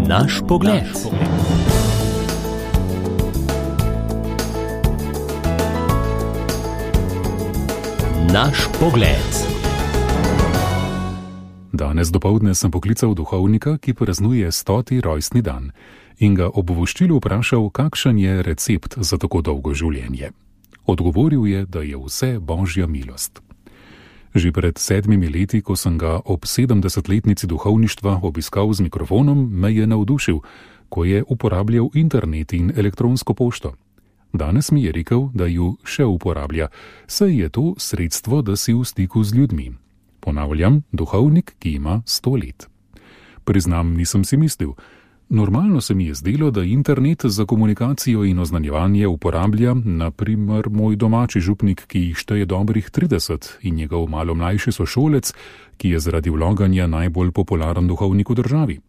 Naš pogled. Naš pogled. Danes dopoldne sem poklical duhovnika, ki praznuje 100. rojstni dan, in ga ob voščilu vprašal, kakšen je recept za tako dolgo življenje. Odgovoril je, da je vse božja milost. Že pred 7 leti, ko sem ga ob 70-letnici duhovništva obiskal z mikrofonom, me je navdušil, ko je uporabljal internet in elektronsko pošto. Danes mi je rekel, da ju še uporablja, saj je to sredstvo, da si v stiku z ljudmi. Ponavljam, duhovnik, ki ima 100 let. Priznam, nisem si mislil. Normalno se mi je zdelo, da internet za komunikacijo in oznanjevanje uporablja, na primer, moj domači župnik, ki jih šteje dobrih 30, in njegov malo mlajši sošolec, ki je zaradi vloganja najbolj popularen duhovnik v državi.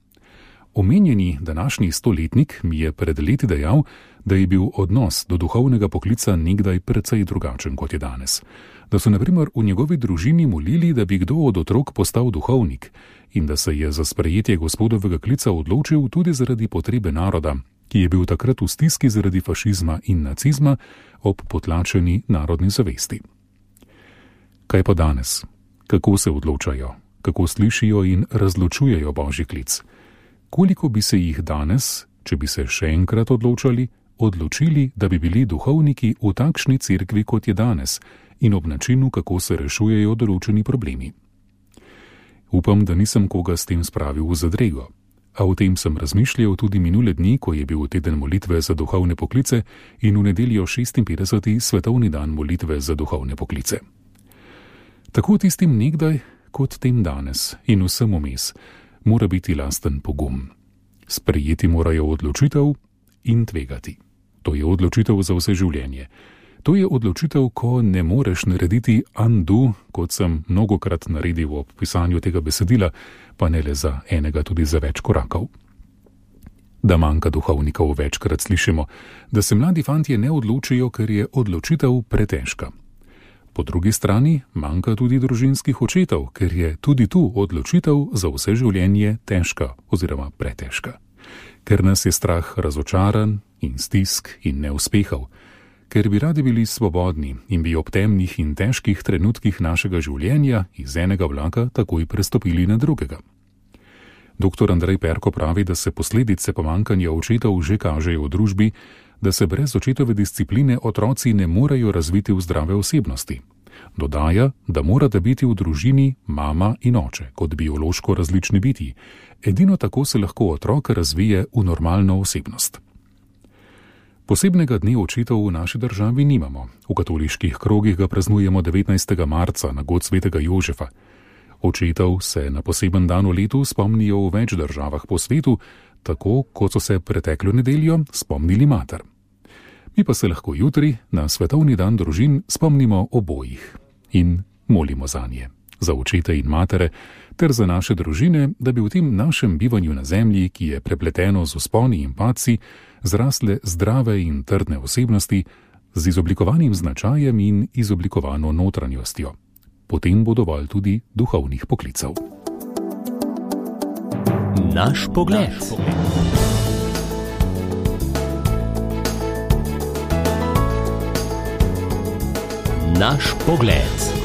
Omenjeni današnji 100-letnik mi je pred leti dejal, da je bil odnos do duhovnega poklica nekdaj precej drugačen, kot je danes. Da so na primer v njegovi družini molili, da bi kdo od otrok postal duhovnik, in da se je za sprejetje gospodovega klica odločil tudi zaradi potrebe naroda, ki je bil takrat v stiski zaradi fašizma in nacizma ob potlačeni narodni zavesti. Kaj pa danes? Kako se odločajo? Kako slišijo in razločujejo božji klic? Koliko bi se jih danes, če bi se še enkrat odločili, da bi bili duhovniki v takšni cerkvi, kot je danes, in ob načinu, kako se rešujejo določeni problemi? Upam, da nisem koga s tem spravil v zadrego, a o tem sem razmišljal tudi minule dni, ko je bil teden molitve za duhovne poklice in v nedeljo 56. svetovni dan molitve za duhovne poklice. Tako tistim nekdaj, kot tem danes in vsem vmes, mora biti lasten pogum. Sprejeti morajo odločitev in tvegati. To je odločitev za vse življenje. To je odločitev, ko ne moreš narediti undo, kot sem mnogokrat naredil ob pisanju tega besedila, pa ne le za enega, tudi za več korakov. Da manjka duhovnikov, večkrat slišimo, da se mladi fantje ne odločijo, ker je odločitev pretežka. Po drugi strani manjka tudi družinskih očetov, ker je tudi tu odločitev za vse življenje težka oziroma pretežka. Ker nas je strah razočaran in stisk in neuspehov, ker bi radi bili svobodni in bi ob temnih in težkih trenutkih našega življenja iz enega vlaka takoj prestopili na drugega. Dr. Andrej Perko pravi, da se posledice pomanjkanja očetov že kažejo v družbi, da se brez očetove discipline otroci ne morejo razviti v zdrave osebnosti. Dodaja, da morata biti v družini mama in oče, kot biološko različni bitji. Edino tako se lahko otrok razvije v normalno osebnost. Posebnega dne očetov v naši državi nimamo. V katoliških krogih ga praznujemo 19. marca na god svetega Jožefa. Očetov se na poseben dan v letu spomnijo v več državah po svetu, tako kot so se preteklo nedeljo spomnili mater. Mi pa se lahko jutri, na svetovni dan družin, spomnimo obojih in molimo zanje, za očete in matere, ter za naše družine, da bi v tem našem bivanju na zemlji, ki je prepleteno z vzponi in padci, zrasle zdrave in trdne osebnosti z izoblikovanim značajem in izoblikovano notranjostjo. Potem bo dovolj tudi duhovnih poklicev. Naš pogled. Naš pogled.